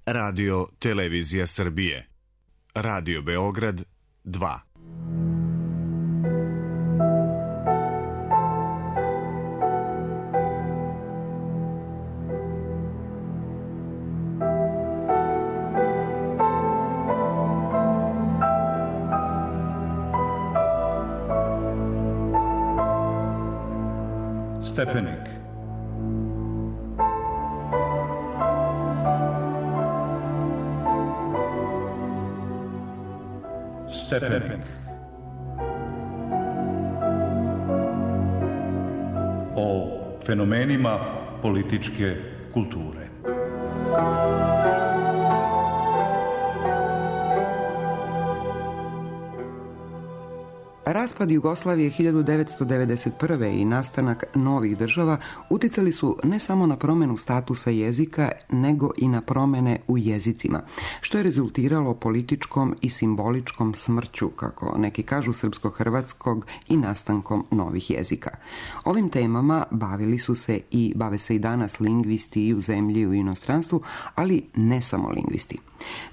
Radio Televizija Srbije. Radio Beograd 2. Stepenik. Stepenik. O fenomenima političke kulture. Raspad Jugoslavije 1991. i nastanak novih država uticali su ne samo na promjenu statusa jezika, nego i na promjene u jezicima, što je rezultiralo političkom i simboličkom smrću, kako neki kažu, srpsko-hrvatskog i nastankom novih jezika. Ovim temama bavili su se i bave se i danas lingvisti i u zemlji i u inostranstvu, ali ne samo lingvisti.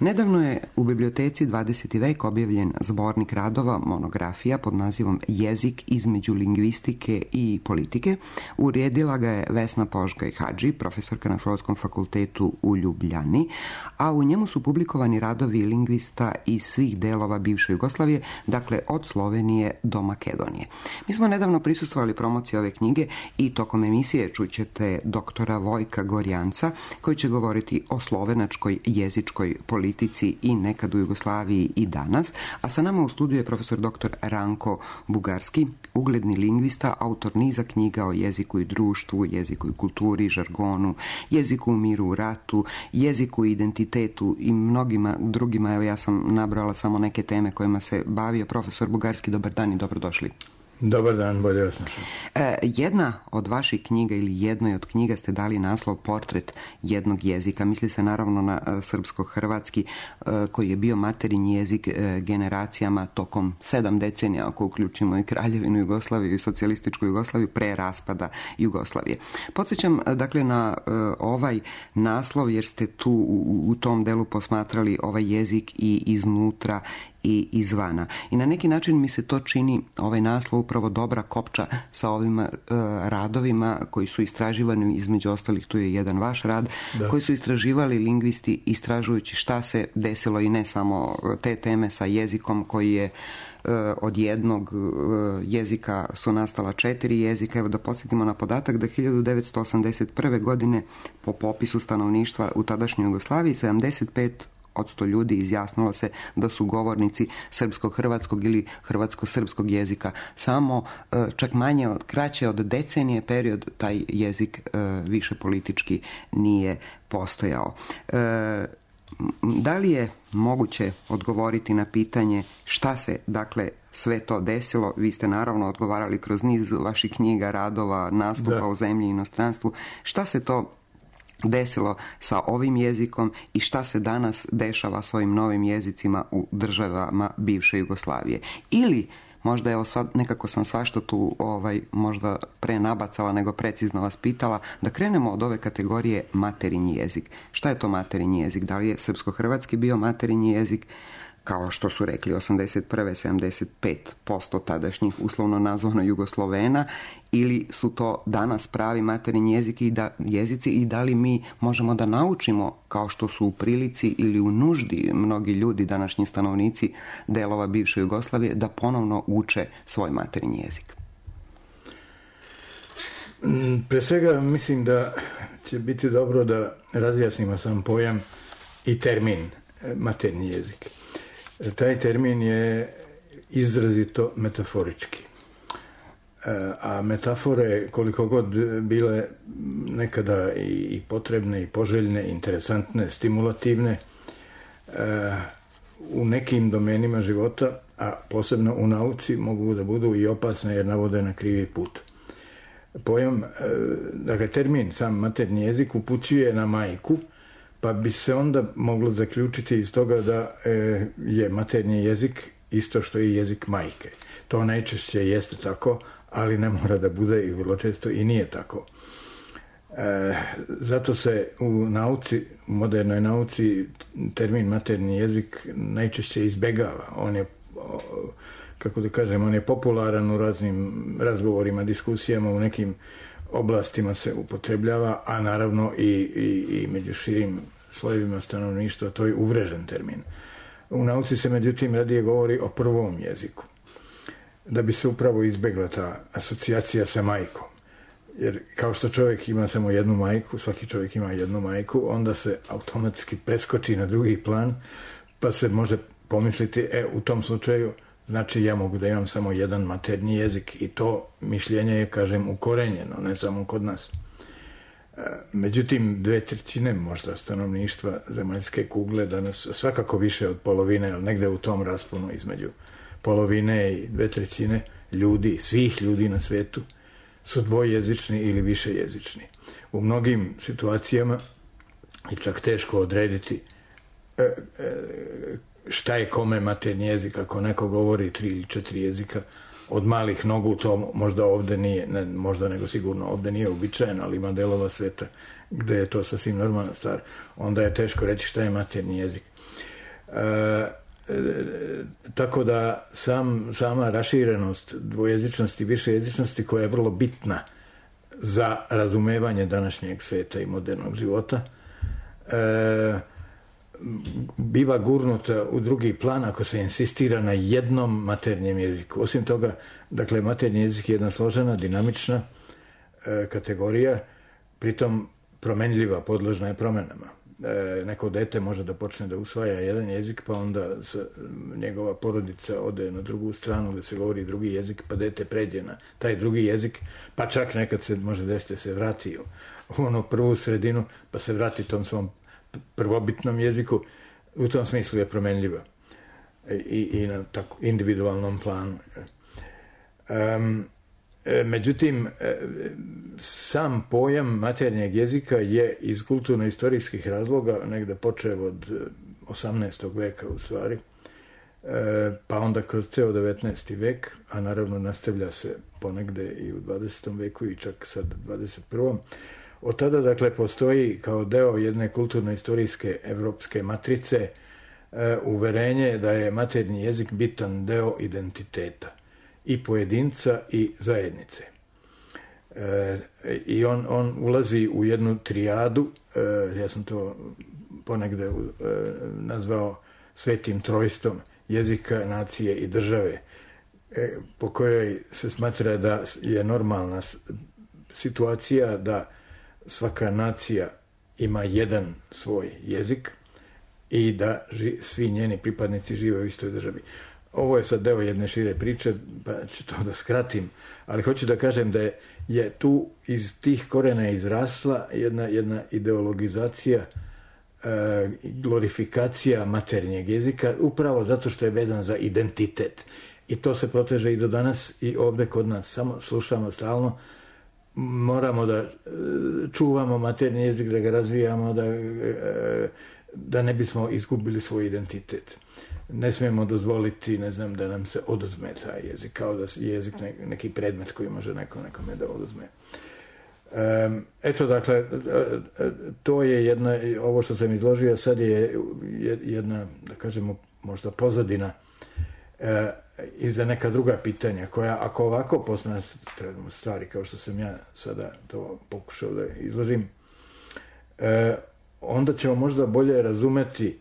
Nedavno je u biblioteci 20. vek objavljen zbornik radova, monografija pod nazivom Jezik između lingvistike i politike. Uredila ga je Vesna Požgaj Hadži, profesorka na Filozofskom fakultetu u Ljubljani, a u njemu su publikovani radovi lingvista iz svih delova bivše Jugoslavije, dakle od Slovenije do Makedonije. Mi smo nedavno prisustvovali promociji ove knjige i tokom emisije čućete doktora Vojka Gorjanca, koji će govoriti o slovenačkoj jezičkoj politici i nekad u Jugoslaviji i danas, a sa nama u studiju je profesor dr. Ranko Bugarski, ugledni lingvista, autor niza knjiga o jeziku i društvu, jeziku i kulturi, žargonu, jeziku u miru u ratu, jeziku i identitetu i mnogima drugima. Evo, ja sam nabrala samo neke teme kojima se bavio. Profesor Bugarski, dobar dan i dobrodošli. Dobar dan, bolje vas našao. Jedna od vaših knjiga ili jednoj od knjiga ste dali naslov Portret jednog jezika. Misli se naravno na srpsko-hrvatski, koji je bio materinji jezik generacijama tokom 7 decenija, ako uključimo i Kraljevinu Jugoslaviju i socijalističku Jugoslaviju, pre raspada Jugoslavije. Podsjećam dakle na ovaj naslov jer ste tu u tom delu posmatrali ovaj jezik i iznutra i izvana. I na neki način mi se to čini, ovaj naslov, upravo dobra kopča sa ovim radovima koji su istraživani, između ostalih tu je jedan vaš rad, koji su istraživali lingvisti istražujući šta se desilo i ne samo te teme sa jezikom koji je od jednog jezika su nastala 4 jezika. Evo da podsjetimo na podatak da 1981. godine po popisu stanovništva u tadašnjoj Jugoslaviji 75% ljudi izjasnilo se da su govornici srpsko-hrvatskog ili hrvatsko-srpskog jezika. Samo čak kraće od decenije period taj jezik više politički nije postojao. Da li je moguće odgovoriti na pitanje šta se dakle sve to desilo? Vi ste naravno odgovarali kroz niz vaših knjiga, radova, nastupa u zemlji i inostranstvu. Šta se to desilo sa ovim jezikom i šta se danas dešava s ovim novim jezicima u državama bivše Jugoslavije? Ili možda evo sad nekako sam svašta tu možda pre nabacala nego precizno vas pitala, da krenemo od ove kategorije materinji jezik. Šta je to materinji jezik? Da li je srpsko-hrvatski bio materinji jezik, kao što su rekli 81. 75% tadašnjih uslovno nazvano Jugoslovena, ili su to danas pravi materinji jezici i da li mi možemo da naučimo, kao što su u prilici ili u nuždi mnogi ljudi, današnji stanovnici delova bivše Jugoslavije, da ponovno uče svoj materinji jezik? Pre svega mislim da će biti dobro da razjasnimo sam pojam i termin materinji jezik. Taj termin je izrazito metaforički. A metafore, koliko god bile nekada i potrebne i poželjne, interesantne, stimulativne, u nekim domenima života, a posebno u nauci, mogu da budu i opasne jer navode na krivi put. Pojam, dakle termin sam maternji jezik upućuje na majku, pa bi se onda moglo zaključiti iz toga da je maternji jezik isto što i jezik majke. To najčešće jeste tako, ali ne mora da bude i vrlo često i nije tako. Zato se u nauci, u modernoj nauci, termin maternji jezik najčešće izbegava. On je, kako da kažem, on je popularan u raznim razgovorima, diskusijama, u nekim oblastima se upotrebljava, a naravno i među širim slojevima stanovništva to je uvrežen termin. U nauci se međutim radije govori o prvom jeziku, da bi se upravo izbegla ta asocijacija sa majkom. Jer kao što čovjek ima samo jednu majku, svaki čovjek ima jednu majku, onda se automatski preskoči na drugi plan, pa se može pomisliti, u tom slučaju, znači ja mogu da imam samo jedan maternji jezik, i to mišljenje je, kažem, ukorenjeno, ne samo kod nas. Međutim, 2/3 možda stanovništva zemaljske kugle danas, svakako više od polovine, ali negde u tom rasponu između polovine i 2/3 ljudi, svih ljudi na svetu, su dvojezični ili višejezični. U mnogim situacijama je čak teško odrediti šta je kome maternji jezik. Ako neko govori 3 ili 4 jezika od malih nogu, to možda ovde nije, ne možda nego sigurno ovde nije uobičajeno, ali ima delova sveta gde je to sasvim normalna stvar. Onda je teško reći šta je maternji jezik. Tako da sama raširenost dvojezičnosti i višejezičnosti, koja je vrlo bitna za razumevanje današnjeg sveta i modernog života, biva gurnuta u drugi plan ako se insistira na jednom maternjem jeziku. Osim toga, dakle, maternji jezik je jedna složena, dinamična kategorija, pritom promenljiva, podložna je promenama. Neko dete može da počne da usvaja jedan jezik, pa onda njegova porodica ode na drugu stranu gde se govori drugi jezik, pa dete pređe na taj drugi jezik, pa čak nekad se može desiti se vrati u onu prvu sredinu, pa se vrati tom svom prvobitnom jeziku. U tom smislu je promenljiva i na tako individualnom planu. Međutim, sam pojam maternjeg jezika je iz kulturno-istorijskih razloga negde počeo od 18. veka u stvari, pa onda kroz ceo 19. vek, a naravno nastavlja se ponegde i u 20. veku i čak sad 21. Od tada, dakle, postoji kao deo jedne kulturno-istorijske evropske matrice uverenje da je maternji jezik bitan deo identiteta i pojedinca i zajednice. I on ulazi u jednu trijadu, ja sam to ponegde nazvao svetim trojstvom jezika, nacije i države, po kojoj se smatra da je normalna situacija da svaka nacija ima jedan svoj jezik i da svi njeni pripadnici žive u istoj državi. Ovo je sad deo jedne šire priče, pa ću to da skratim, ali hoću da kažem da je tu iz tih korena izrasla jedna ideologizacija, glorifikacija maternjeg jezika, upravo zato što je vezan za identitet. I to se proteže i do danas i ovde kod nas. Samo slušamo stalno, moramo da čuvamo maternji jezik, da ga razvijamo, da ne bismo izgubili svoj identitet. Ne smijemo dozvoliti, ne znam, da nam se oduzme taj jezik, kao da je jezik neki predmet koji može nekome da oduzme. Eto, dakle, to je jedna, ovo što sam izložio sad je jedna, da kažemo, možda pozadina i za neka druga pitanja koja, ako ovako posmatramo stvari kao što sam ja sada to pokušao da izložim, onda ćemo možda bolje razumeti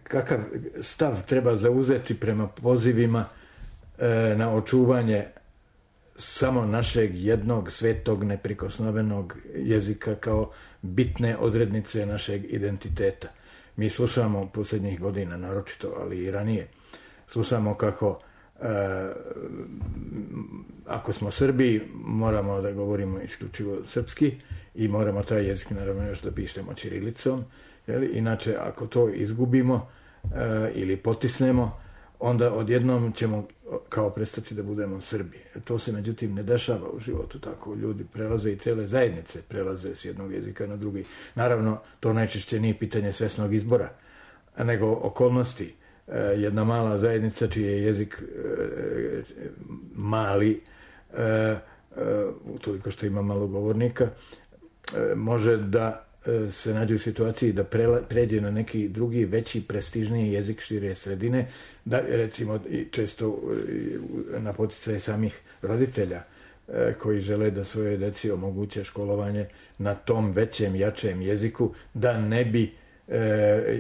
kakav stav treba zauzeti prema pozivima na očuvanje samo našeg jednog svetog neprikosnovenog jezika kao bitne odrednice našeg identiteta. Mi slušamo posljednjih godina naročito, ali i ranije, slušamo kako ako smo Srbi moramo da govorimo isključivo srpski i moramo taj jezik naravno još da pišemo ćirilicom. Inače, ako to izgubimo ili potisnemo, onda odjednom ćemo kao prestati da budemo Srbi. To se međutim ne dešava u životu tako. Ljudi prelaze i cele zajednice prelaze s jednog jezika na drugi. Naravno, to najčešće nije pitanje svesnog izbora, nego okolnosti. Jedna mala zajednica čiji je jezik mali utoliko što ima malo govornika, može da se nađe u situaciji da pređe na neki drugi, veći, prestižniji jezik šire sredine, da recimo često na poticaj samih roditelja koji žele da svoje deci omoguće školovanje na tom većem, jačem jeziku, da ne bi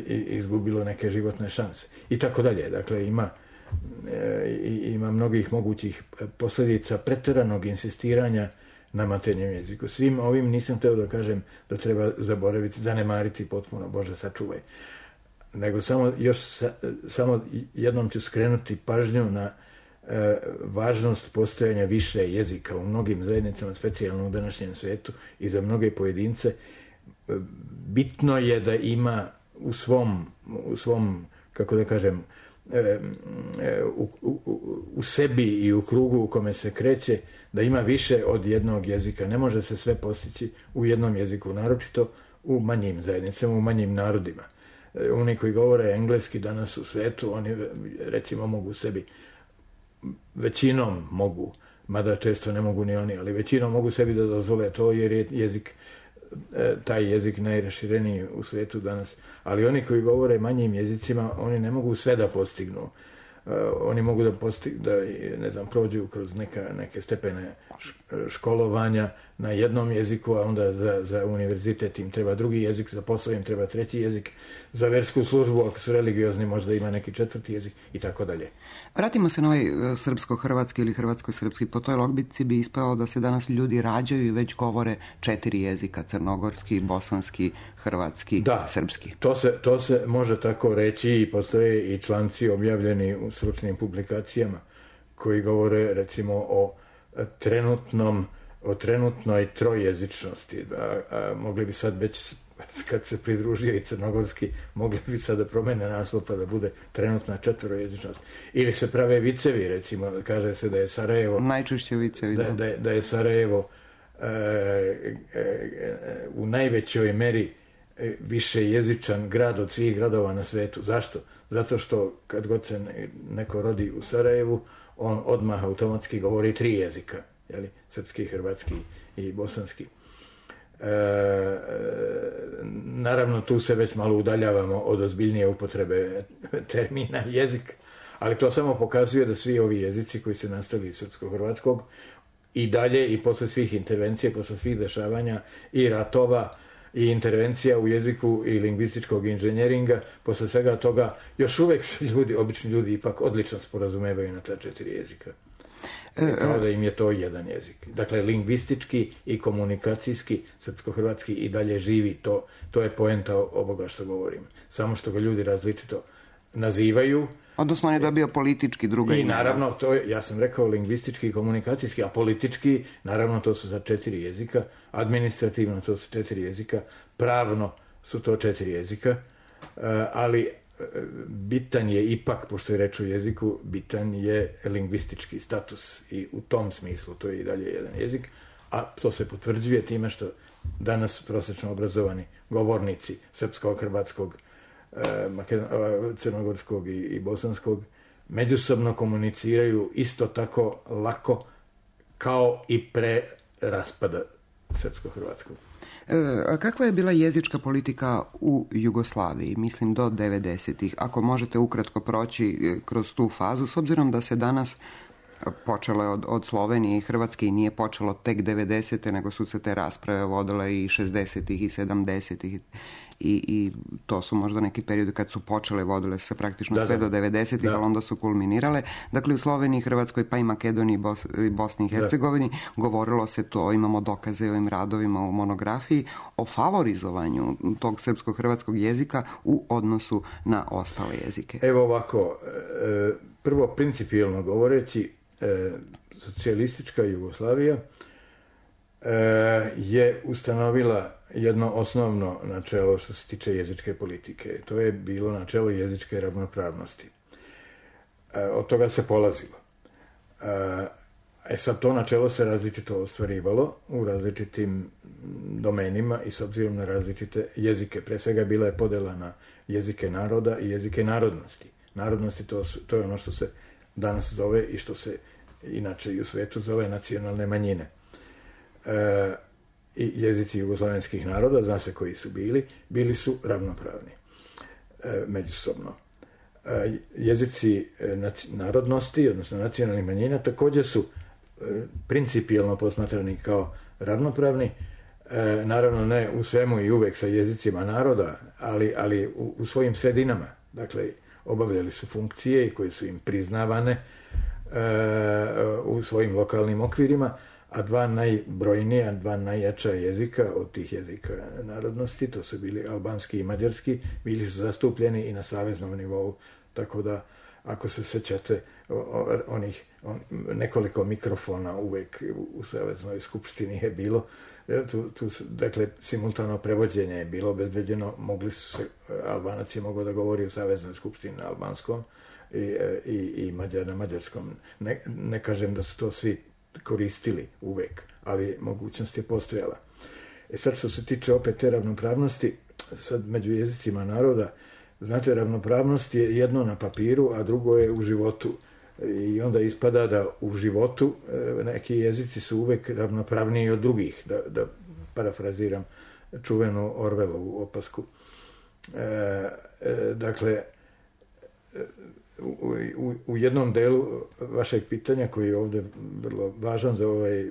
izgubilo neke životne šanse. I tako dalje. Dakle, ima mnogih mogućih posljedica pretjeranog insistiranja na maternjem jeziku. Svim ovim nisam htio da kažem da treba zaboraviti, zanemariti potpuno, Bože sačuvaj. Nego samo jednom ću skrenuti pažnju na važnost postojanja više jezika u mnogim zajednicama, specijalno u današnjem svijetu i za mnoge pojedince. Bitno je da ima u svom kako da kažem, u sebi i u krugu u kome se kreće, da ima više od jednog jezika. Ne može se sve postići u jednom jeziku, naročito u manjim zajednicama, u manjim narodima. Oni koji govore engleski danas u svijetu, oni recimo mogu sebi, većinom mogu, mada često ne mogu ni oni, ali većinom mogu sebi da dozvole to jer je taj jezik najrašireniji u svijetu danas. Ali oni koji govore manjim jezicima, oni ne mogu sve da postignu. Oni mogu da prođu kroz neke stepene školovanja na jednom jeziku, a onda za univerzitet im treba drugi jezik, za posao im treba treći jezik, za versku službu, ako su religiozni, možda ima neki četvrti jezik i tako dalje. Vratimo se na ovaj srpsko-hrvatski ili hrvatsko-srpski. Po toj logici bi ispalo da se danas ljudi rađaju i već govore 4 jezika, crnogorski, bosanski, hrvatski, srpski. To se može tako reći i postoje i članci objavljeni u stručnim publikacijama koji govore recimo o trenutnoj trojezičnosti. Mogli bi sad već, kad se pridružio i crnogorski, mogli bi sad da promene naslov pa da bude trenutna četvorojezičnost. Ili se prave vicevi, recimo, kaže se da je Sarajevo... Najčešće vicevi, da je Sarajevo u najvećoj meri više jezičan grad od svih gradova na svetu. Zašto? Zato što kad god se neko rodi u Sarajevu, on odmah automatski govori 3 jezika, jeli? Srpski, hrvatski i bosanski. Naravno, tu se već malo udaljavamo od ozbiljnije upotrebe termina jezik, ali to samo pokazuje da svi ovi jezici koji su nastali iz srpsko-hrvatskog i dalje i posle svih intervencija, posle svih dešavanja i ratova i intervencija u jeziku i lingvističkog inženjeringa, posle svega toga još uvek se obični ljudi ipak odlično sporazumevaju na ta 4 jezika. Kao da im je to jedan jezik. Dakle, lingvistički i komunikacijski srpsko-hrvatski i dalje živi. To je poenta ovoga što govorim. Samo što ga ljudi različito nazivaju. Odnosno on je dobio politički druga imena. I naravno, ja sam rekao lingvistički i komunikacijski, a politički, naravno, to su za 4 jezika. Administrativno to su 4 jezika. Pravno su to 4 jezika. Ali bitan je ipak, pošto je reč o jeziku, bitan je lingvistički status i u tom smislu to je i dalje jedan jezik, a to se potvrđuje time što danas prosečno obrazovani govornici srpskog, hrvatskog, crnogorskog i bosanskog međusobno komuniciraju isto tako lako kao i pre raspada srpsko-hrvatskog. Kakva je bila jezička politika u Jugoslaviji, mislim do 90-ih? Ako možete ukratko proći kroz tu fazu, s obzirom da se danas počelo je od Slovenije i Hrvatske i nije počelo tek 90-te, nego su se te rasprave vodile i 60-ih i 70-ih i to su možda neki periodi kad su počele, vodile se praktično sve do 90-ih, ali onda su kulminirale. Dakle, u Sloveniji, Hrvatskoj, pa i Makedoniji i Bosni i Hercegovini govorilo se to, imamo dokaze o ovim radovima u monografiji, o favorizovanju tog srpsko-hrvatskog jezika u odnosu na ostale jezike. Evo ovako, prvo principijelno govoreći, socijalistička Jugoslavija je ustanovila jedno osnovno načelo što se tiče jezičke politike. To je bilo načelo jezičke ravnopravnosti. Od toga se polazilo. Sad to načelo se različito ostvarivalo u različitim domenima i s obzirom na različite jezike. Pre svega bila je podela na jezike naroda i jezike narodnosti. Narodnosti to je ono što se danas zove i što se inače i u svetu zove nacionalne manjine. i jezici jugoslavenskih naroda, zna se koji su bili su ravnopravni međusobno. Jezici narodnosti, odnosno nacionalnih manjina, također su principijelno posmatrani kao ravnopravni, naravno ne u svemu i uvek sa jezicima naroda, ali u svojim sredinama. Dakle, obavljali su funkcije koje su im priznavane u svojim lokalnim okvirima, a dva najbrojnija, dva najjača jezika od tih jezika narodnosti, to su bili albanski i mađarski, bili su zastupljeni i na saveznom nivou, tako da ako se sećate onih nekoliko mikrofona uvek u Saveznoj skupštini je bilo, dakle simultano prevođenje je bilo obezbeđeno, mogli su se, Albanac je mogao da govori u Saveznoj skupštini na albanskom i Mađar na mađarskom. Ne kažem da su to svi koristili uvek, ali mogućnost je postojala. Sad što se tiče opet te ravnopravnosti, sad među jezicima naroda, znate, ravnopravnost je jedno na papiru, a drugo je u životu. I onda ispada da u životu neki jezici su uvek ravnopravniji od drugih, da parafraziram čuvenu Orwellovu opasku. Dakle, u jednom delu vašeg pitanja, koji je ovdje vrlo važan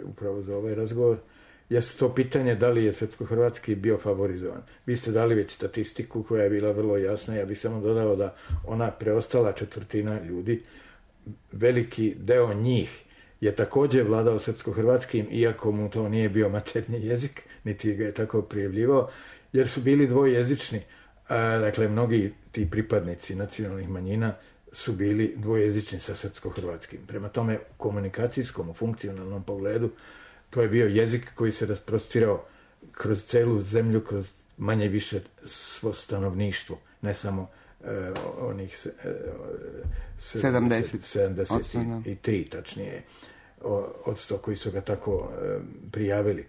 upravo za ovaj razgovor, jeste to pitanje da li je srpsko-hrvatski bio favorizovan. Vi ste dali već statistiku koja je bila vrlo jasna, ja bih samo dodao da ona preostala četvrtina ljudi, veliki deo njih je također vladao srpsko-hrvatskim, iako mu to nije bio maternji jezik, niti ga je tako prijavljivao, jer su bili dvojezični. Dakle, mnogi ti pripadnici nacionalnih manjina su bili dvojezični sa srpsko-hrvatskim. Prema tome, u komunikacijskom, u funkcionalnom pogledu, to je bio jezik koji se rasprostirao kroz celu zemlju, kroz manje više svo stanovništvo, ne samo onih 73 tačnije od 100 koji su ga tako prijavili.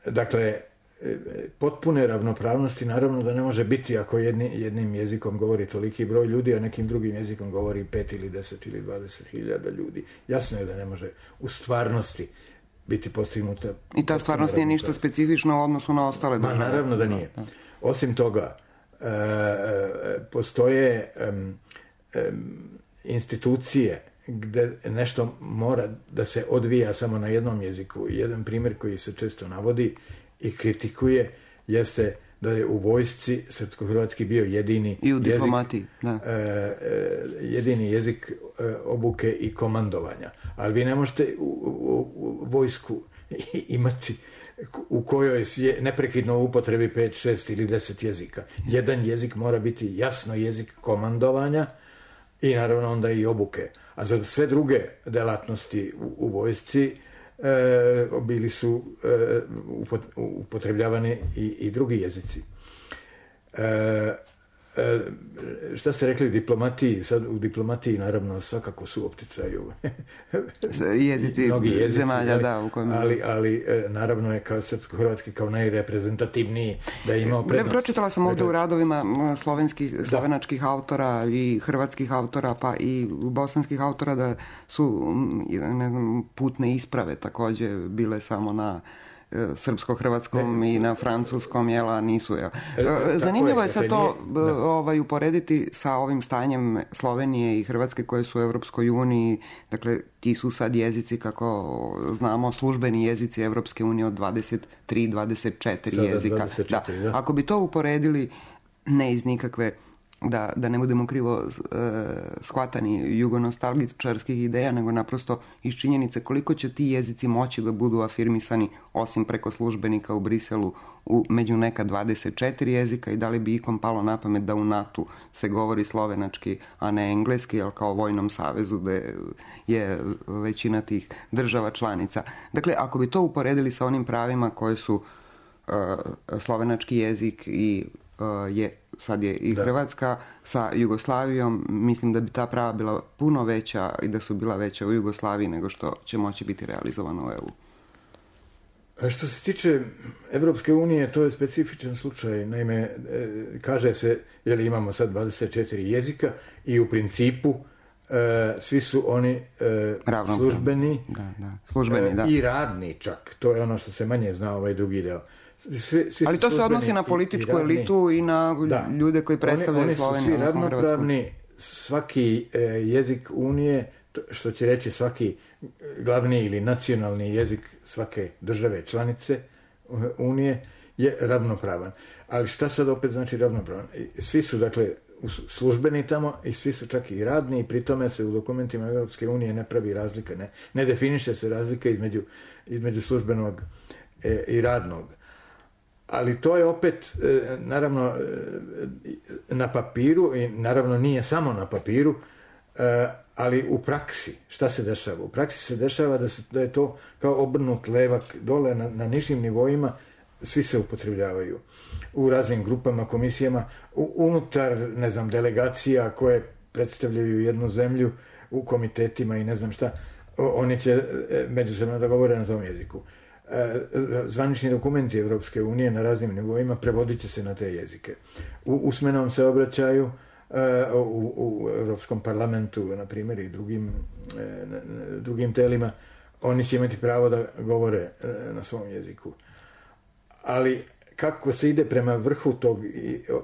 Dakle, potpune ravnopravnosti naravno da ne može biti ako jednim jezikom govori toliki broj ljudi, a nekim drugim jezikom govori 5 ili 10 ili 20.000 ljudi. Jasno je da ne može u stvarnosti biti postignuta. I ta stvarnost nije ništa specifično u odnosu na ostale države. Naravno da nije. Osim toga, postoje institucije gde nešto mora da se odvija samo na jednom jeziku. Jedan primjer koji se često navodi i kritikuje jeste da je u vojsci srpsko-hrvatski bio jedini i u diplomatiji, jedini jezik obuke i komandovanja. Ali vi ne možete u vojsku imati u kojoj je neprekidno u upotrebi 5, 6 ili 10 jezika. Jedan jezik mora biti jasno jezik komandovanja i naravno onda i obuke. A za sve druge delatnosti u vojsci bili su upotrebljavani i drugi jezici. Šta ste rekli diplomatiji? Sad u diplomatiji naravno svakako su opticaju jezici zemalja, da, u kojem... ali naravno je kao srpsko-hrvatski kao najreprezentativniji da je imao prednost. Pročitala sam ovdje u radovima slovenačkih autora i hrvatskih autora, pa i bosanskih autora, da su putne isprave također bile samo na srpsko-hrvatskom i na francuskom, jela nisu. Zanimljivo je sad to uporediti sa ovim stanjem Slovenije i Hrvatske koje su u Europskoj uniji. Dakle, ti su sad jezici, kako znamo, službeni jezici Europske unije od 23-24 jezika. 24, da. Ako bi to uporedili, ne iz nikakve, da ne budemo krivo shvatani jugonostalgičarskih ideja, nego naprosto iz činjenice koliko će ti jezici moći da budu afirmisani osim preko službenika u Briselu među neka 24 jezika, i da li bi ikom palo na pamet da u NATO se govori slovenački, a ne engleski, ali kao vojnom savezu da je većina tih država članica. Dakle, ako bi to uporedili sa onim pravima koje su slovenački jezik i sad je i Hrvatska sa Jugoslavijom, mislim da bi ta prava bila puno veća i da su bila veća u Jugoslaviji nego što će moći biti realizovano u EU. A što se tiče Evropske unije, to je specifičan slučaj. Naime, kaže se, imamo sad 24 jezika i u principu svi su oni službeni, službeni, i radni čak. To je ono što se manje zna, ovaj drugi deo. Svi ali to se odnosi na političku elitu i na ljude koji predstavljaju Sloveniju. Oni su svi ravnopravni, svaki jezik Unije, što će reći svaki glavni ili nacionalni jezik svake države članice Unije je ravnopravan. Ali šta sad opet znači ravnopravan? Svi su, dakle, službeni tamo i svi su čak i radni i pri tome se u dokumentima Europske unije ne pravi razlika, ne definiše se razlika između službenog i radnog. Ali to je opet, naravno, na papiru i naravno nije samo na papiru, ali u praksi, šta se dešava? U praksi se dešava da je to kao obrnut levak dole na nižim nivoima, svi se upotrebljavaju u raznim grupama, komisijama, unutar, ne znam, delegacija koje predstavljaju jednu zemlju u komitetima i ne znam šta, oni će međusobno da govore na tom jeziku. Zvanični dokumenti Evropske unije na raznim nivoima prevodit će se na te jezike. U usmenom se obraćaju u Europskom parlamentu, na primjer, i drugim telima, oni će imati pravo da govore na svom jeziku. Ali kako se ide prema vrhu tog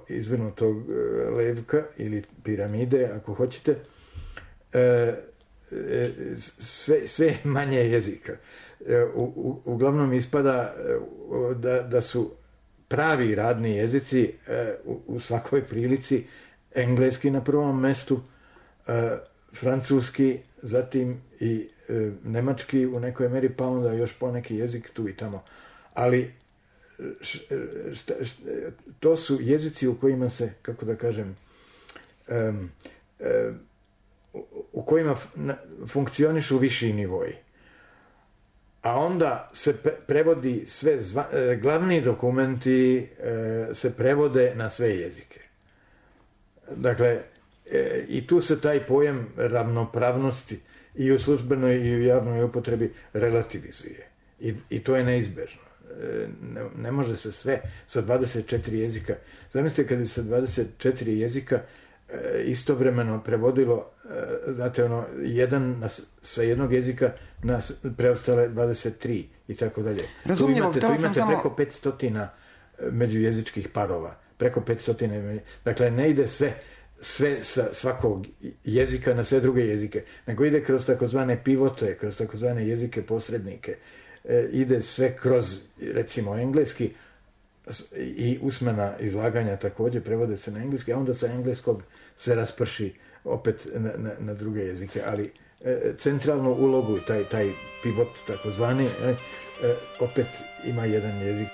izvrnutog levka ili piramide, ako hoćete, sve manje jezika. Uglavnom ispada da su pravi radni jezici u svakoj prilici engleski na prvom mestu, francuski, zatim i nemački u nekoj meri, pa onda još poneki jezik tu i tamo. Ali to su jezici u kojima se, kako da kažem, u kojima funkcionišu viši nivoji. A onda se prevodi sve, glavni dokumenti se prevode na sve jezike. Dakle, i tu se taj pojam ravnopravnosti i u službenoj i u javnoj upotrebi relativizuje. I to je neizbežno. Ne može se sve sa 24 jezika. Zamislite kad bi sa 24 jezika istovremeno prevodilo, znate, sa jednog jezika na preostale 23 i tako dalje. Razumljivo, tu imate preko 500 međujezičkih parova. Preko 500. Dakle, ne ide sve sa svakog jezika na sve druge jezike, nego ide kroz takozvane pivote, kroz takozvane jezike posrednike. Ide sve kroz, recimo, engleski i usmena izlaganja također prevode se na engleski, a onda sa engleskog se rasprši opet na druge jezike, ali centralnu ulogu, taj pivot takozvani, opet ima jedan jezik.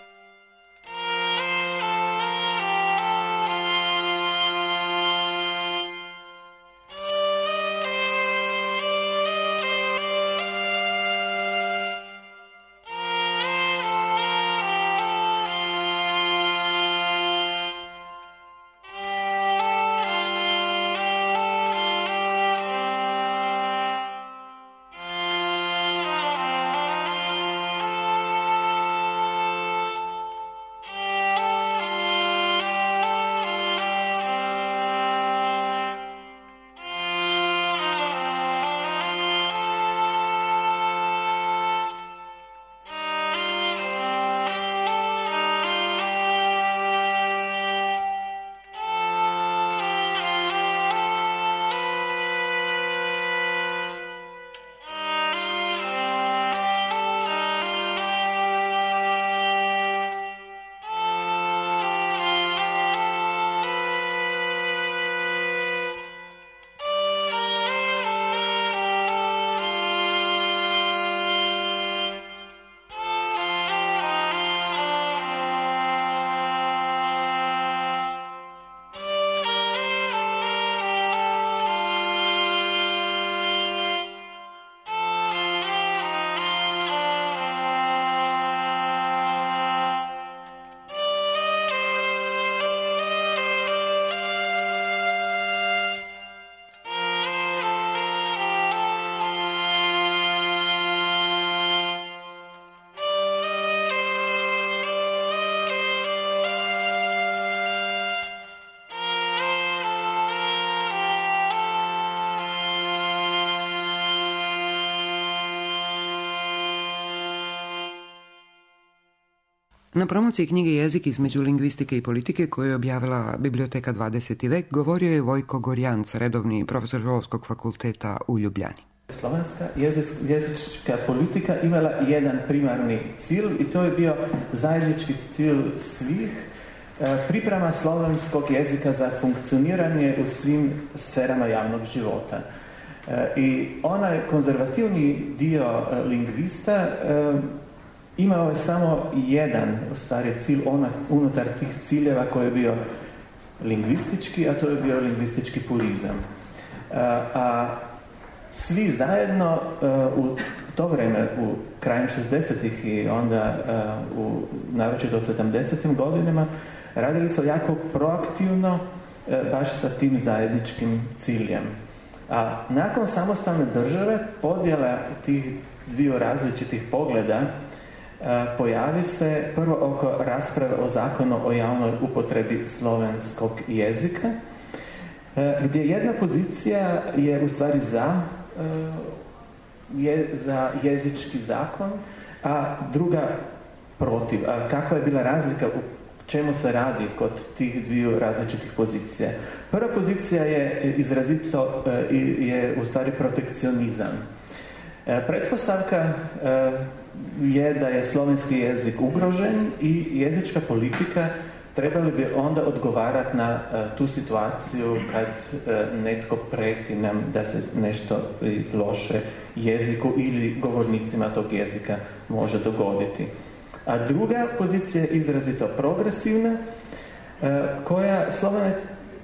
Na promociji knjige Jezik između lingvistike i politike koju je objavila Biblioteka 20. vek govorio je Vojko Gorjanc, redovni profesor Filozofskog fakulteta u Ljubljani. Slovenska jezička politika imala jedan primarni cilj i to je bio zajednički cilj svih, priprema slovenskog jezika za funkcioniranje u svim sferama javnog života. I onaj konzervativni dio lingvista imao je samo jedan u stvari cilj unutar tih ciljeva koji je bio lingvistički, a to je bio lingvistički purizam. A svi zajedno u to vreme, u krajem 60-ih i onda naročito u 70-im godinama, radili su jako proaktivno baš sa tim zajedničkim ciljem. A nakon samostalne države, podjela tih dviju različitih pogleda pojavi se prvo oko rasprave o zakonu o javnoj upotrebi slovenskog jezika, gdje jedna pozicija je u stvari za jezički zakon, a druga protiv. A kakva je bila razlika, u čemu se radi kod tih dviju različitih pozicija? Prva pozicija je izrazito je u stvari protekcionizam. Pretpostavka je da je slovenski jezik ugrožen i jezička politika trebali bi onda odgovarati na tu situaciju kad netko prijeti nam da se nešto loše jeziku ili govornicima tog jezika može dogoditi. A druga pozicija je izrazito progresivna, koja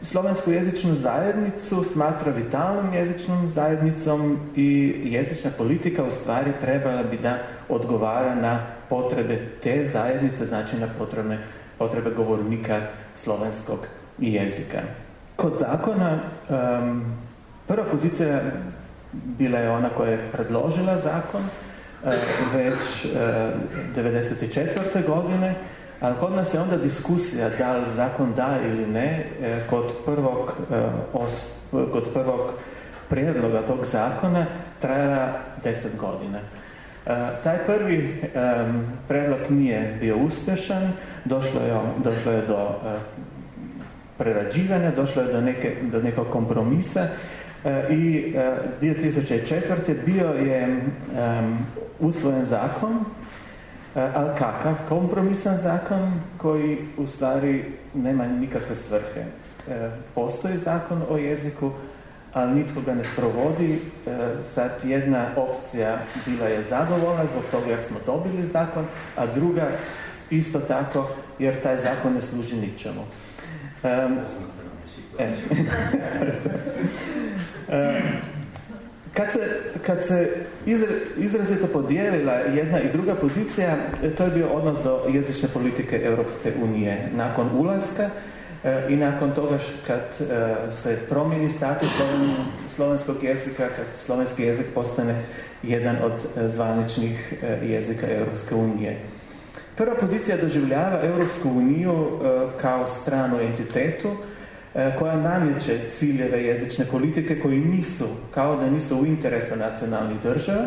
slovensku jezičnu zajednicu smatra vitalnom jezičnom zajednicom i jezična politika u stvari trebala bi da odgovara na potrebe te zajednice, znači na potrebe govornika slovenskog jezika. Kod zakona prva pozicija bila je ona koja je predložila zakon već 1994. godine, a kod nas je onda diskusija da li zakon da ili ne kod prvog prijedloga tog zakona trajala 10 godina. Taj prvi prijedlog nije bio uspješan, došlo je do prerađivanja, došlo je do nekog kompromisa i 2004. bio je usvojen zakon, ali kakav kompromisan zakon koji u stvari nema nikakve svrhe. Postoji zakon o jeziku, ali nitko ga ne sprovodi. Sad jedna opcija bila je zadovoljna zbog toga jer smo dobili zakon, a druga isto tako jer taj zakon ne služi ničemu. Kad se izrazito podijelila jedna i druga pozicija, to je bio odnos do jezične politike Europske unije. Nakon ulaska i nakon toga kad se promijeni status slovenskog jezika, kad slovenski jezik postane jedan od zvaničnih jezika Europske unije. Prva pozicija doživljava Europsku uniju kao stranu entitetu koja namjeće ciljeve jezične politike koji kao da nisu u interesu nacionalnih država,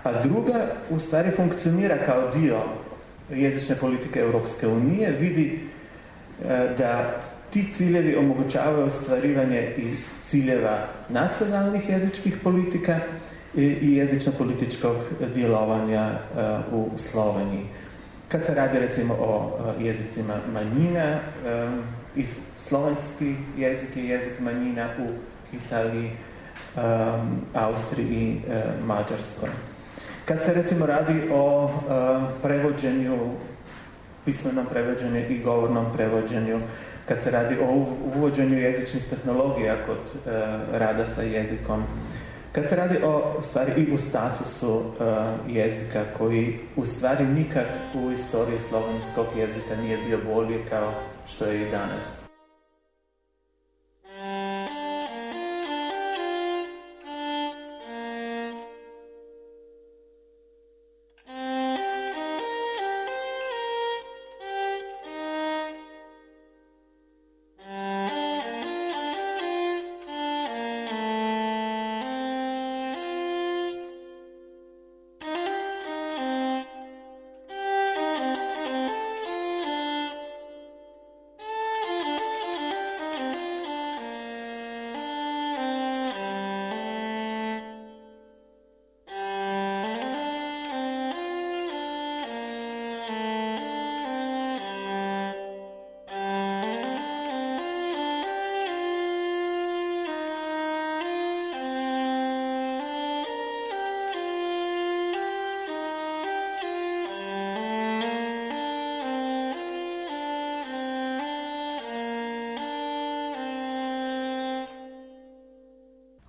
a druga u stvari funkcionira kao dio jezične politike Europske unije, vidi da ti ciljevi omogućavaju ostvarivanje i ciljeva nacionalnih jezičkih politika i jezično-političkog djelovanja u Sloveniji. Kad se radi recimo o jezicima manjina, i slovenski jezik je jezik manjina u Italiji, Austriji i Mađarskoj. Kad se recimo radi o prevođenju, pismenom prevođenju i govornom prevođenju, kad se radi o uvođenju jezičnih tehnologija kod rada sa jezikom, kad se radi o stvari i u statusu jezika koji u stvari nikad u istoriji slovenskog jezika nije bio bolji kao što je i danas.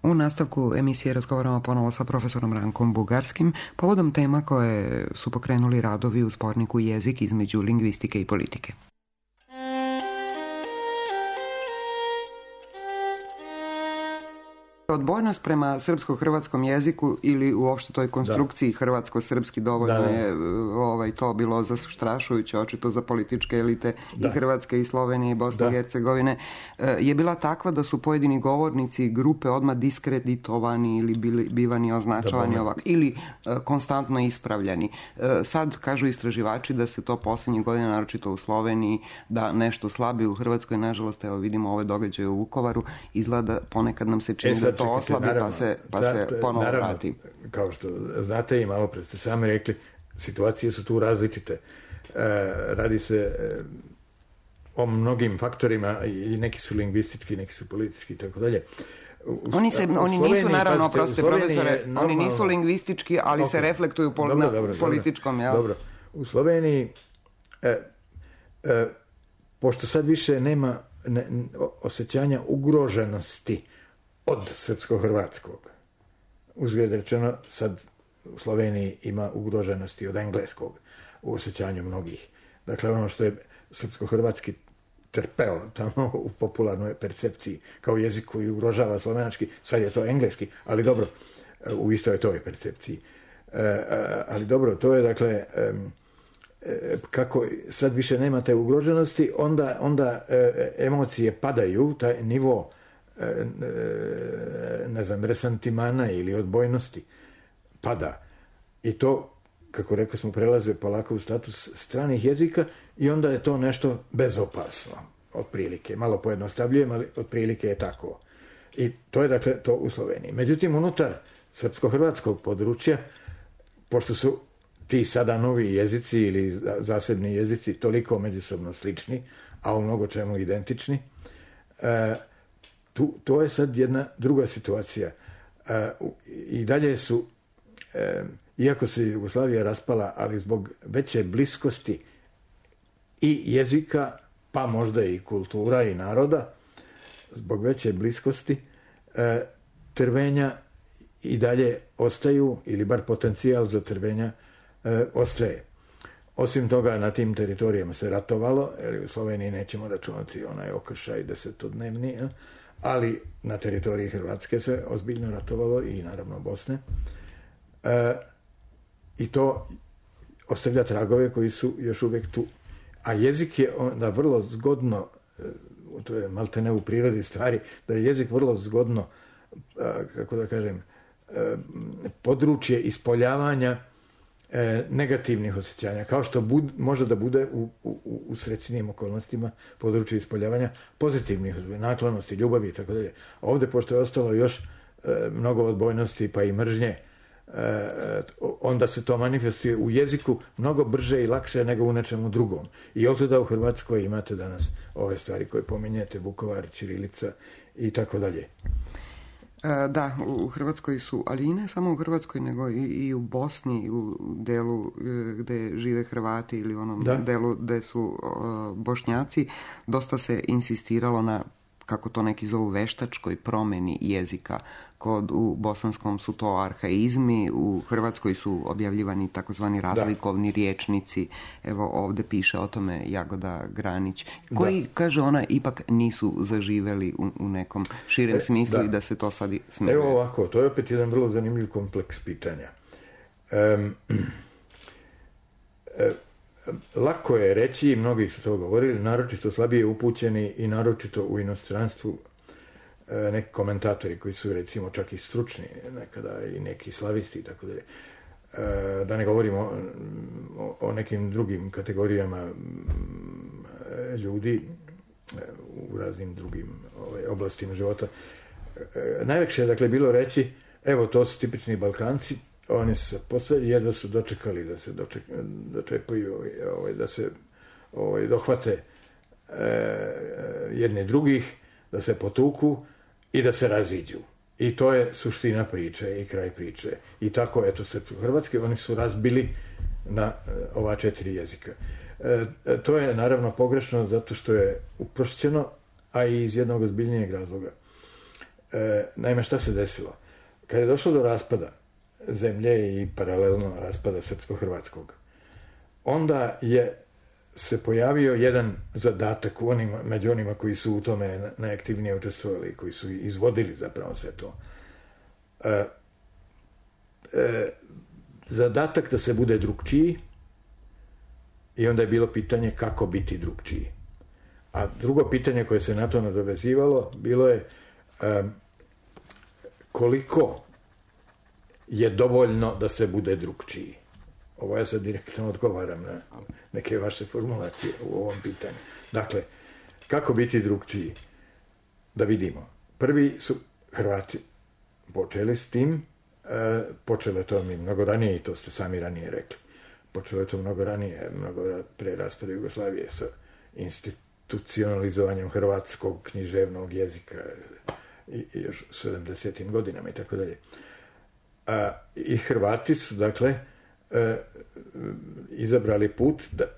U nastavku emisije razgovaramo ponovo sa profesorom Rankom Bugarskim povodom tema koje su pokrenuli radovi u zborniku Jezik između lingvistike i politike. Odbojnost prema srpsko-hrvatskom jeziku ili uopšte toj konstrukciji hrvatsko-srpski dovoljno je to bilo zastrašujuće, očito za političke elite i Hrvatske i Slovenije i Bosne i Hercegovine, je bila takva da su pojedini govornici i grupe odmah diskreditovani ili bivani označavani ovako ili konstantno ispravljani. Sad kažu istraživači da se to posljednjih godina, naročito u Sloveniji, da nešto slabije u Hrvatskoj. Nažalost, evo vidimo ove događaje u Vukovaru, izgleda ponekad nam se čini da to oslabi, pa se ponovo vrati. Kao što znate i malo pre ste sami rekli, situacije su tu različite. Radi se o mnogim faktorima i neki su lingvistički, neki su politički i tako dalje. Oni nisu, naravno, oprostite profesore, oni nisu lingvistički, ali se reflektuju na političkom. Dobro. U Sloveniji, pošto sad više nema osjećanja ugroženosti od srpsko-hrvatskog. Uzgled rečeno, sad u Sloveniji ima ugroženosti od engleskog u osjećanju mnogih. Dakle, ono što je srpsko-hrvatski trpeo tamo u popularnoj percepciji kao jezik koji ugrožava slovenački, sad je to engleski, ali dobro, u istoj toj percepciji. Ali dobro, to je dakle, kako sad više nema te ugroženosti, onda emocije padaju, taj nivo resantimana ili odbojnosti pada. I to, kako rekao smo, prelaze polako u status stranih jezika i onda je to nešto bezopasno, otprilike. Malo pojednostavljujem, ali otprilike je tako. I to je dakle to u Sloveniji. Međutim, unutar srpsko-hrvatskog područja, pošto su ti sada novi jezici ili zasebni jezici toliko međusobno slični, a u mnogo čemu identični, to je sad jedna druga situacija. I dalje su, iako se Jugoslavija raspala, ali zbog veće bliskosti i jezika, pa možda i kultura i naroda, zbog veće bliskosti, trvenja i dalje ostaju, ili bar potencijal za trvenja ostaje. Osim toga, na tim teritorijama se ratovalo, jer u Sloveniji nećemo računati onaj okršaj 10-dnevni, ali na teritoriji Hrvatske se ozbiljno ratovalo i naravno Bosne. I to ostavlja tragove koji su još uvijek tu. A jezik je onda vrlo zgodno, to je maltene u prirodi stvari, da je jezik vrlo zgodno, kako da kažem, područje ispoljavanja negativnih osjećanja, kao što može da bude u srećnijim okolnostima područje ispoljavanja pozitivnih naklonosti, ljubavi i tako dalje. Ovdje, pošto je ostalo još mnogo odbojnosti pa i mržnje, onda se to manifestuje u jeziku mnogo brže i lakše nego u nečemu drugom. I otuda u Hrvatskoj imate danas ove stvari koje pominjete, Vukovar, ćirilica i tako dalje. Da, u Hrvatskoj su, ali i ne samo u Hrvatskoj, nego i u Bosni, u delu gde žive Hrvati ili u onom delu gde su Bošnjaci, dosta se insistiralo na, kako to neki zovu, veštačkoj promjeni jezika. U bosanskom su to arhaizmi, u Hrvatskoj su objavljivani takozvani razlikovni riječnici. Evo ovdje piše o tome Jagoda Granić, koji, kaže ona, ipak nisu zaživeli u nekom širem smislu i da se to sad smije. Evo ovako, to je opet jedan vrlo zanimljiv kompleks pitanja. Lako je reći, i mnogi su to govorili, naročito slabije upućeni i naročito u inostranstvu, neki komentatori koji su recimo čak i stručni, nekada i neki slavisti i tako dalje. Da ne govorimo o nekim drugim kategorijama ljudi u raznim drugim oblastima života. Najlakše je dakle bilo reći, evo to su tipični Balkanci, oni su se posve jedva su dočekali da se dočepaju, da se dohvate jedni drugih, da se potuku i da se raziđu. I to je suština priče i kraj priče. I tako, eto, Hrvatske, oni su razbili na ova 4 jezika. To je naravno pogrešno zato što je uprošćeno, a i iz jednog ozbiljnijeg razloga. Naime, šta se desilo? Kad je došlo do raspada zemlje i paralelno raspada srpsko-hrvatskog, onda je se pojavio jedan zadatak među onima koji su u tome najaktivnije učestvovali, koji su izvodili zapravo sve to. Zadatak da se bude drukčiji, i onda je bilo pitanje kako biti drukčiji. A drugo pitanje koje se na to nadovezivalo bilo je koliko je dovoljno da se bude drukčiji. Ovo ja sad direktno odgovaram na neke vaše formulacije u ovom pitanju. Dakle, kako biti drukčiji? Da vidimo. Prvi su Hrvati počeli s tim, počelo je to mi mnogo ranije, i to ste sami ranije rekli. Počelo je to mnogo ranije, mnogo pre raspada Jugoslavije sa institucionalizovanjem hrvatskog književnog jezika i još u 70. godinama i tako dalje. I Hrvati su, dakle, izabrali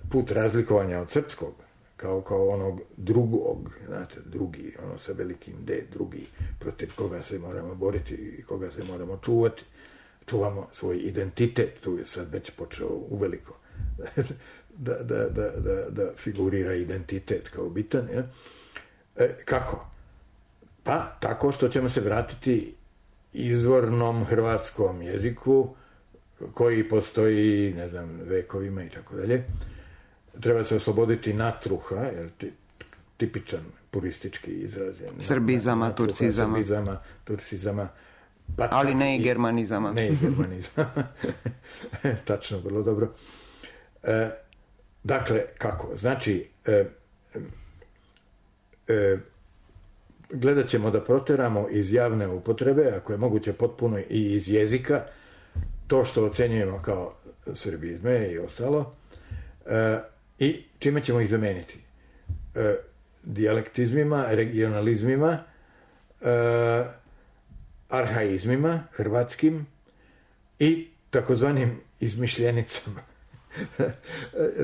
put razlikovanja od srpskog, kao onog drugog, znate, drugi, ono sa velikim D, drugi, protiv koga se moramo boriti i koga se moramo čuvati. Čuvamo svoj identitet, tu je sad već počeo uveliko da figurira identitet kao bitan. Ja? Kako? Pa tako što ćemo se vratiti izvornom hrvatskom jeziku koji postoji, ne znam, vekovima i tako dalje. Treba se osloboditi natruha, jer tipičan puristički izraz je. Srbizama, natruha, turcizama. Turcizama. Pa ali ne i germanizama. Ne i germanizama. Tačno, vrlo dobro. Dakle, kako? Znači, gledat ćemo da proteramo iz javne upotrebe, ako je moguće potpuno i iz jezika, to što ocenjujemo kao srbizme i ostalo, i čime ćemo ih zameniti? Dijalektizmima, regionalizmima, arhaizmima hrvatskim i takozvanim izmišljenicama.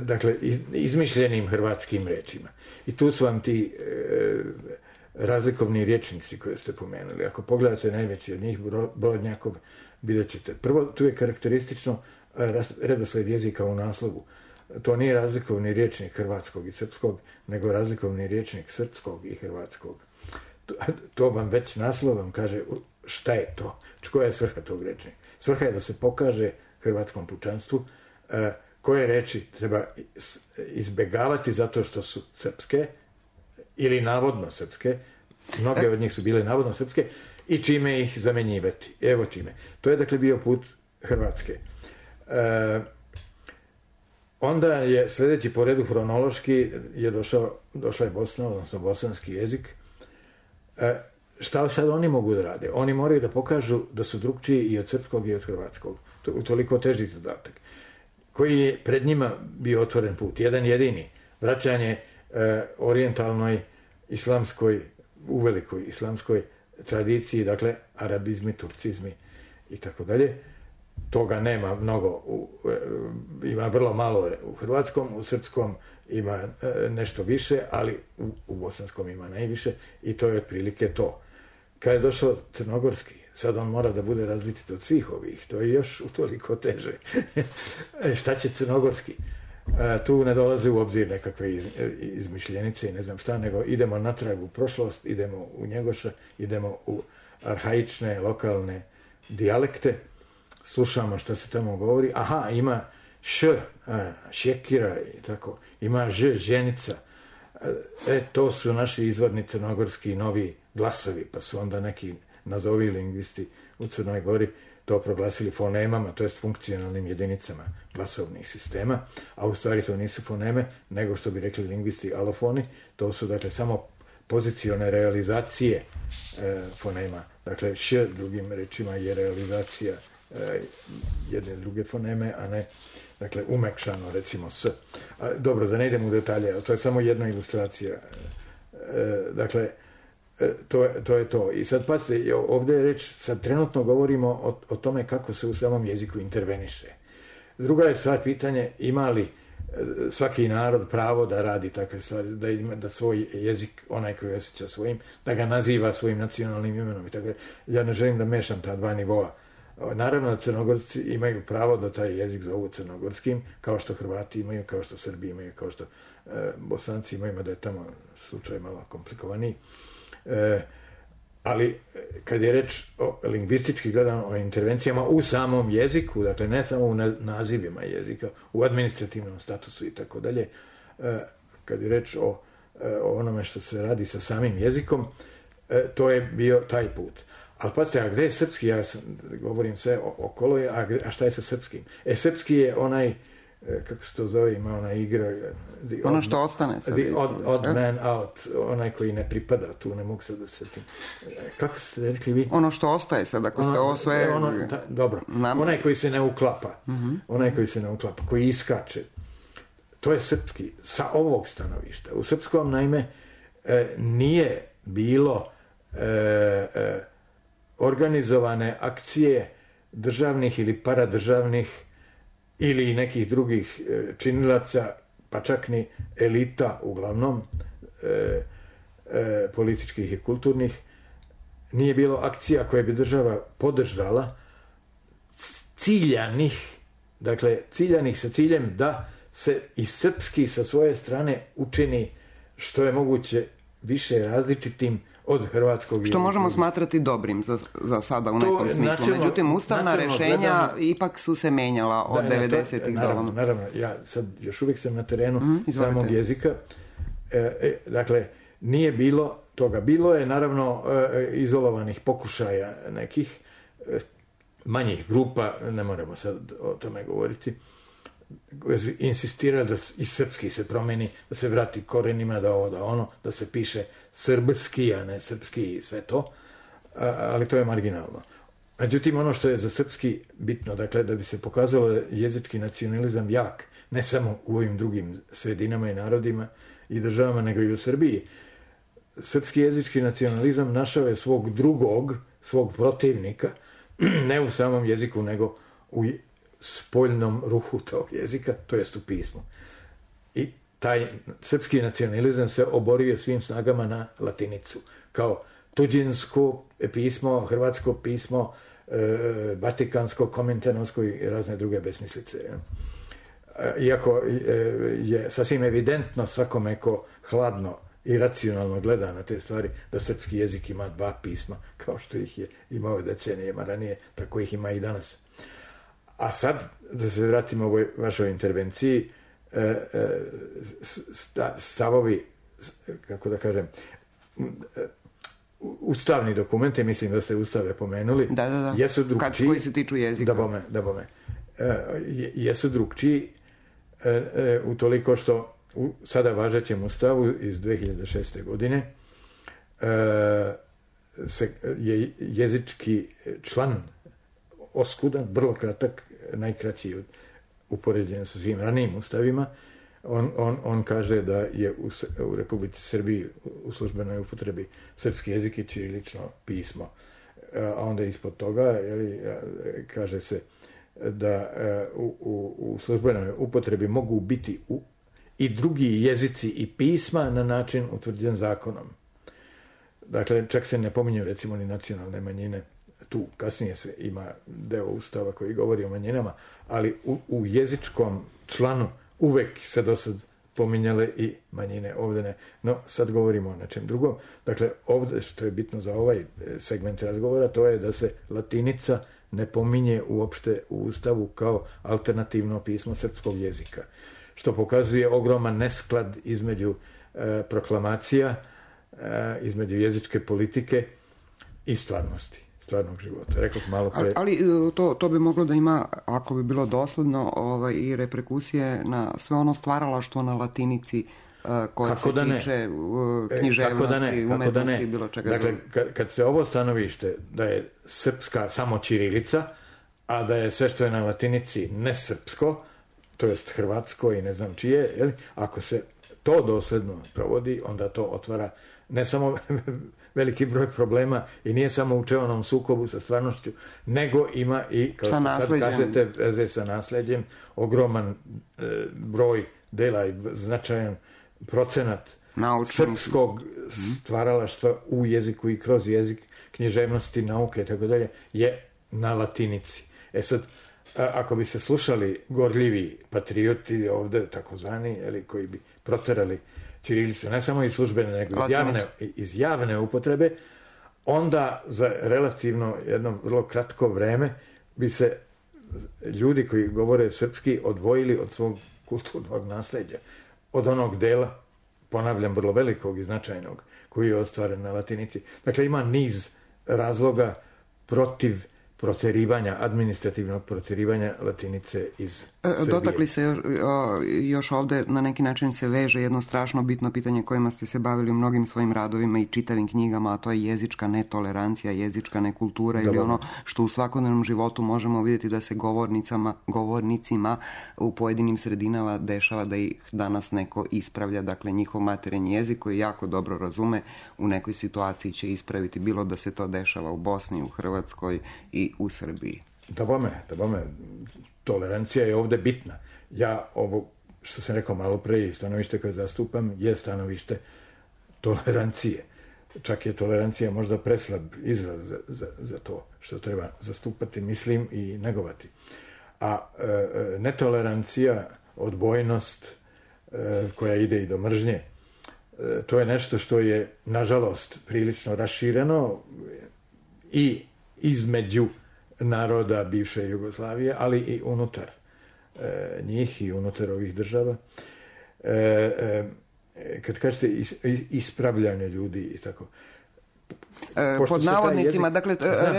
Dakle, izmišljenim hrvatskim rečima. I tu su vam ti razlikovni rječnici koje ste pomenuli. Ako pogledate najveći od njih, Brodnjakov, vidjet ćete. Prvo, tu je karakteristično redosled jezika u naslovu. To nije razlikovni rječnik hrvatskog i srpskog, nego razlikovni rječnik srpskog i hrvatskog. To vam već naslov vam kaže šta je to, koja je svrha tog rečnika. Svrha je da se pokaže hrvatskom pučanstvu koje reči treba izbegavati zato što su srpske ili navodno srpske, mnoge od njih su bile navodno srpske, i čime ih zamenjivati. Evo čime. To je dakle bio put Hrvatske. Onda je sljedeći po redu hronološki došla je Bosna, odnosno bosanski jezik. Šta sad oni mogu da rade? Oni moraju da pokažu da su drukčiji i od srpskog i od hrvatskog. To je utoliko teži zadatak. Koji je pred njima bio otvoren put? Jedan jedini. Vraćanje orijentalnoj islamskoj, uvelikoj islamskoj tradiciji, dakle arabizmi, turcizmi i tako dalje. Toga nema mnogo, ima vrlo malo u hrvatskom, u srpskom ima nešto više, ali u bosanskom ima najviše, i to je otprilike to. Kad je došao crnogorski, sad on mora da bude različit od svih ovih, to je još utoliko teže. Šta će crnogorski? Tu ne dolaze u obzir nekakve izmišljenice i ne znam šta, nego idemo natrag u prošlost, idemo u Njegoša, idemo u arhaične, lokalne dijalekte, slušamo šta se tamo govori. Aha, ima šekira i tako, ima ženica. To su naši izvorni crnogorski novi glasovi, pa su onda neki nazovi lingvisti u Crnoj Gori to proglasili fonemama, to jest funkcionalnim jedinicama glasovnih sistema, a u stvari to nisu foneme, nego što bi rekli lingvisti alofoni, to su dakle samo pozicione realizacije fonema. Dakle, drugim rečima je realizacija jedne druge foneme, a ne, dakle, umekšano, recimo s. Dobro, da ne idem u detalje, to je samo jedna ilustracija. Dakle, to je to. I sad, pazite, ovdje je reč, sad trenutno govorimo o tome kako se u samom jeziku interveniše. Druga je stvar pitanje, ima li svaki narod pravo da radi takve stvari, da ima da svoj jezik, onaj koji osjeća svojim, da ga naziva svojim nacionalnim imenom i tako. Ja ne želim da mešam ta dva nivoa. Naravno da Crnogorci imaju pravo da taj jezik zovu crnogorskim, kao što Hrvati imaju, kao što Srbi imaju, kao što Bosanci imaju, mada je tamo slučaj malo komplikovaniji. Ali kad je reč o lingvistički gledano o intervencijama u samom jeziku, dakle ne samo u nazivima jezika, u administrativnom statusu i tako dalje, kad je reč o onome što se radi sa samim jezikom, to je bio taj put. Ali pazite, a gde je srpski? Ja govorim sve okolo, a šta je sa srpskim? Srpski je onaj, kako se to zove, ima ona igra... Ono što ostane. The odd man out, onaj koji ne pripada, tu ne mogu sad da setim. Kako ste rekli vi? Ono što ostaje sad, ako ste ovo sve... Dobro, onaj koji se ne uklapa, onaj koji se ne uklapa, koji iskače, to je srpski, sa ovog stanovišta. U srpskom, naime, nije bilo organizovane akcije državnih ili paradržavnih ili nekih drugih činilaca, pa čak ni elita uglavnom, političkih i kulturnih. Nije bilo akcija koje bi država podržala ciljanih, dakle ciljanih sa ciljem da se i srpski sa svoje strane učini što je moguće više različitim od hrvatskog jezika. Što možemo smatrati dobrim za sada u nekom smislu. Međutim, ustavna rešenja ipak su se menjala od 90-ih do ovamo. Naravno, ja sad još uvijek sam na terenu samog jezika. Dakle, nije bilo toga. Bilo je naravno izolovanih pokušaja nekih manjih grupa, ne moramo sad o tome govoriti, insistira da i srpski se promeni, da se vrati korenima, da ovo, da ono, da se piše srbski, a ne srpski i sve to, ali to je marginalno. Međutim, ono što je za srpski bitno, dakle, da bi se pokazalo da je jezički nacionalizam jak, ne samo u ovim drugim sredinama i narodima i državama, nego i u Srbiji, srpski jezički nacionalizam našao je svog protivnika, ne u samom jeziku, nego u spoljnom ruhu tog jezika, to jest u pismu. I taj srpski nacionalizam se oborio svim snagama na latinicu, kao tuđinsko pismo, hrvatsko pismo, vatikansko, kominternovsko i razne druge besmislice. Iako je sasvim evidentno svakome ko hladno i racionalno gleda na te stvari, da srpski jezik ima dva pisma, kao što ih je imao decenijama ranije, tako ih ima i danas. A sad, da se vratimo ovoj vašoj intervenciji, stavovi, kako da kažem, ustavni dokumenti, mislim da ste ustave pomenuli, jesu drugčiji. Koji se tiču jezika. Da bome. Jesu drugčiji utoliko što u sada važećem ustavu iz 2006. godine je jezički član oskudan, vrlo kratak, najkraći upoređen sa svim ranijim ustavima. On kaže da je u Republici Srbiji u službenoj upotrebi srpski jezik i ćirilično pismo. A onda ispod toga kaže se da u službenoj upotrebi mogu biti i drugi jezici i pisma na način utvrđen zakonom. Dakle, čak se ne pominju recimo ni nacionalne manjine. Tu kasnije se ima deo ustava koji govori o manjinama, ali u jezičkom članu uvek se do sad pominjale i manjine, ovdje ne. No, sad govorimo o nečem drugom. Dakle, ovdje što je bitno za ovaj segment razgovora, to je da se latinica ne pominje uopšte u ustavu kao alternativno pismo srpskog jezika, što pokazuje ogroman nesklad između proklamacija, između jezičke politike i stvarnosti, stvarnog života. Rekao malo pre... Ali to bi moglo da ima, ako bi bilo dosledno, i reperkusije na sve ono stvaralaštvo na latinici koje se tiče književnosti, umetnosti, bilo čega. Dakle, kad se ovo stanovište da je srpska samo ćirilica, a da je sve što je na latinici nesrpsko, to jest hrvatsko i ne znam čije, ako se to dosledno provodi, onda to otvara ne samo veliki broj problema i nije samo u čeonom sukobu sa stvarnošću, nego ima i, kao što sad kažete, veze sa nasleđem, ogroman broj dela i značajan procenat srpskog stvaralaštva u jeziku i kroz jezik, književnosti, nauke i tako dalje, je na latinici. Sad, ako bi se slušali gorljivi patrioti ovde, takozvani, koji bi proterali ćirilicu, ne samo iz službene, nego iz javne upotrebe, onda za relativno jedno vrlo kratko vreme bi se ljudi koji govore srpski odvojili od svog kulturnog nasleđa, od onog dela, ponavljam, vrlo velikog i značajnog, koji je ostvaren na latinici. Dakle, ima niz razloga protiv proterivanja, administrativnog proterivanja latinice iz Srbije. Dotakli se još ovde, na neki način se veže jedno strašno bitno pitanje kojima ste se bavili u mnogim svojim radovima i čitavim knjigama, a to je jezička netolerancija, jezička nekultura ili ono što u svakodnevnom životu možemo vidjeti da se govornicima u pojedinim sredinama dešava da ih danas neko ispravlja, dakle njihov materinji jezik koji jako dobro razume u nekoj situaciji će ispraviti, bilo da se to dešava u Bosni, u Hrvatskoj i u Srbiji. Da bome, tolerancija je ovde bitna. Ja ovo, što sam rekao malo pre, i stanovište koje zastupam, je stanovište tolerancije. Čak je tolerancija možda preslab izraz za to što treba zastupati, mislim, i negovati. A netolerancija, odbojnost koja ide i do mržnje, to je nešto što je, nažalost, prilično rašireno i između naroda bivše Jugoslavije, ali i unutar njih i unutar ovih država. Kad kažete ispravljanje ljudi i tako. Pod navodnicima, dakle,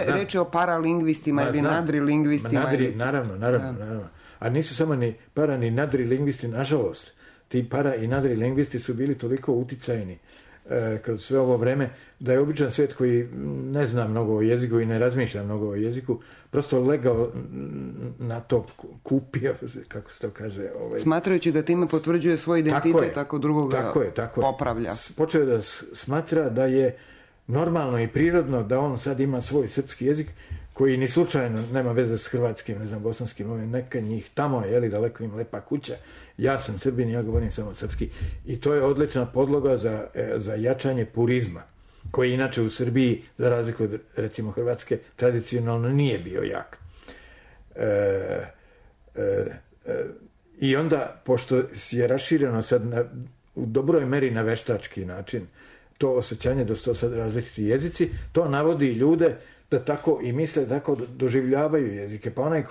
reč je o paralingvistima ili nadrilingvistima. Naravno. A nisu samo ni para ni nadrilingvisti, nažalost. Ti para i nadrilingvisti su bili toliko uticajni kroz sve ovo vreme, da je običan svijet koji ne zna mnogo o jeziku i ne razmišlja mnogo o jeziku, prosto legao na to, kupio, kako se to kaže. Smatrajući da time potvrđuje svoj identitet, tako drugoga popravlja. Počeo da smatra da je normalno i prirodno da on sad ima svoj srpski jezik, koji ni slučajno nema veze s hrvatskim, ne znam, bosanskim, neka njih tamo, daleko im lepa kuća. Ja sam Srbin, ja govorim samo srpski. I to je odlična podloga za jačanje purizma, koji inače u Srbiji, za razliku od, recimo, Hrvatske, tradicionalno nije bio jak. I onda, pošto je rašireno sad u dobroj meri na veštački način, to osjećanje da su to sad različiti jezici, to navodi ljude da tako i misle, tako doživljavaju jezike. Pa onaj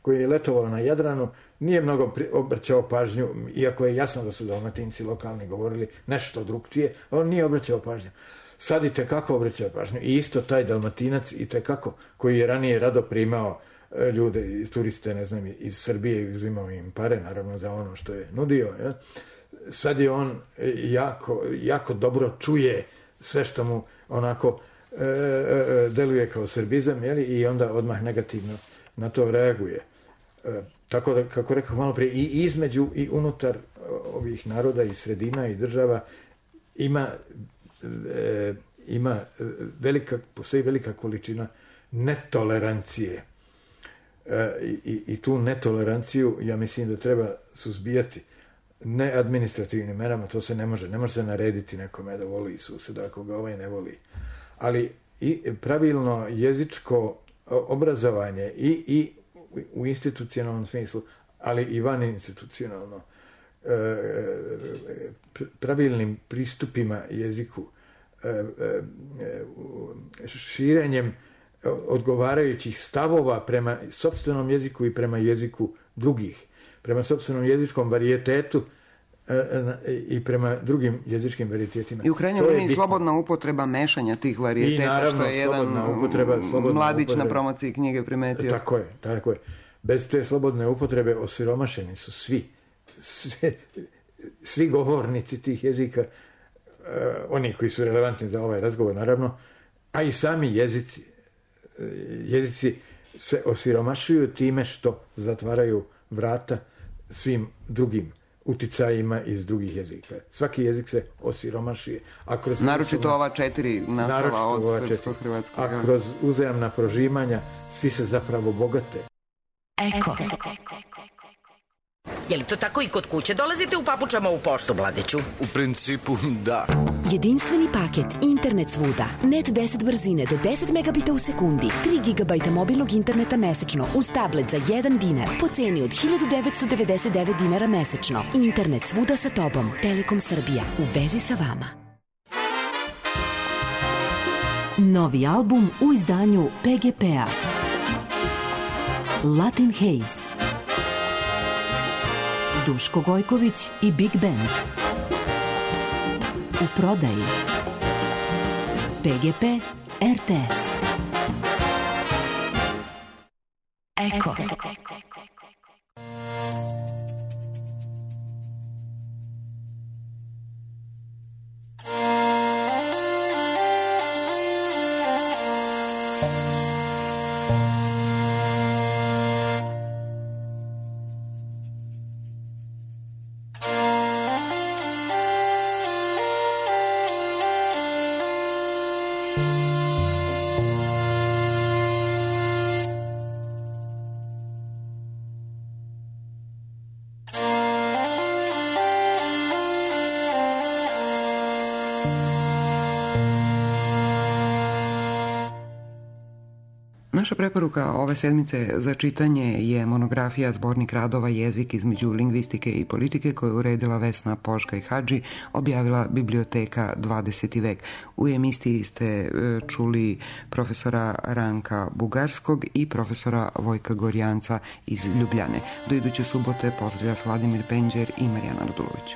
koji je letovao na Jadranu, nije mnogo obraćao pažnju, iako je jasno da su Dalmatinci lokalni govorili nešto drugčije, on nije obraćao pažnju. Sad i tekako obraćao pažnju. I isto taj Dalmatinac i tekako, koji je ranije rado primao ljude, turiste, ne znam, iz Srbije i uzimao im pare, naravno, za ono što je nudio. Ja? Sad je on jako dobro čuje sve što mu onako deluje kao srbizam, i onda odmah negativno na to reaguje. Tako da, kako rekao malo prije, i između i unutar ovih naroda i sredina i država postoji velika količina netolerancije. I tu netoleranciju, ja mislim da treba suzbijati. Ne administrativnim merama, to se ne može se narediti nekome da voli suseda ako ga ne voli. Ali i pravilno jezičko obrazovanje i u institucionalnom smislu, ali i van institucionalno, pravilnim pristupima jeziku, širenjem odgovarajućih stavova prema sopstvenom jeziku i prema jeziku drugih, prema sopstvenom jezičkom varijetetu i prema drugim jezičkim varitetima. I u krajnjoj liniji slobodna upotreba mešanja tih varijeteta, naravno, što je jedan mladić na promociji knjige primetio. Tako je. Bez te slobodne upotrebe osiromašeni su svi govornici tih jezika, oni koji su relevantni za ovaj razgovor, naravno, a i sami jezici se osiromašuju time što zatvaraju vrata svim drugim uticajima iz drugih jezika. Svaki jezik se osiromašuje. Naročito ova 4 naslova od srpsko-hrvatskog. A kroz uzajamna prožimanja svi se zapravo bogate. Eko. Je li to tako i kod kuće? Dolazite u papučama u poštu, Vladiću? U principu, da. Jedinstveni paket, internet svuda, net 10 brzine do 10 megabita u sekundi, 3 GB mobilnog interneta mesečno uz tablet za 1 dinar po ceni od 1999 dinara mesečno. Internet svuda sa tobom. Telekom Srbija. U vezi sa vama. Novi album u izdanju PGP-a. Latin Haze. Duško Gojković i Big Band. U prodaji PGP RTS. Eko. Naša preporuka ove sedmice za čitanje je monografija Zbornik radova Jezik između lingvistike i politike koju je uredila Vesna Poška i Hadži, objavila Biblioteka 20. vek. U emisiji ste čuli profesora Ranka Bugarskog i profesora Vojka Gorjanca iz Ljubljane. Do iduće subote pozdravlja Vladimir Penđer i Marijana Radulović.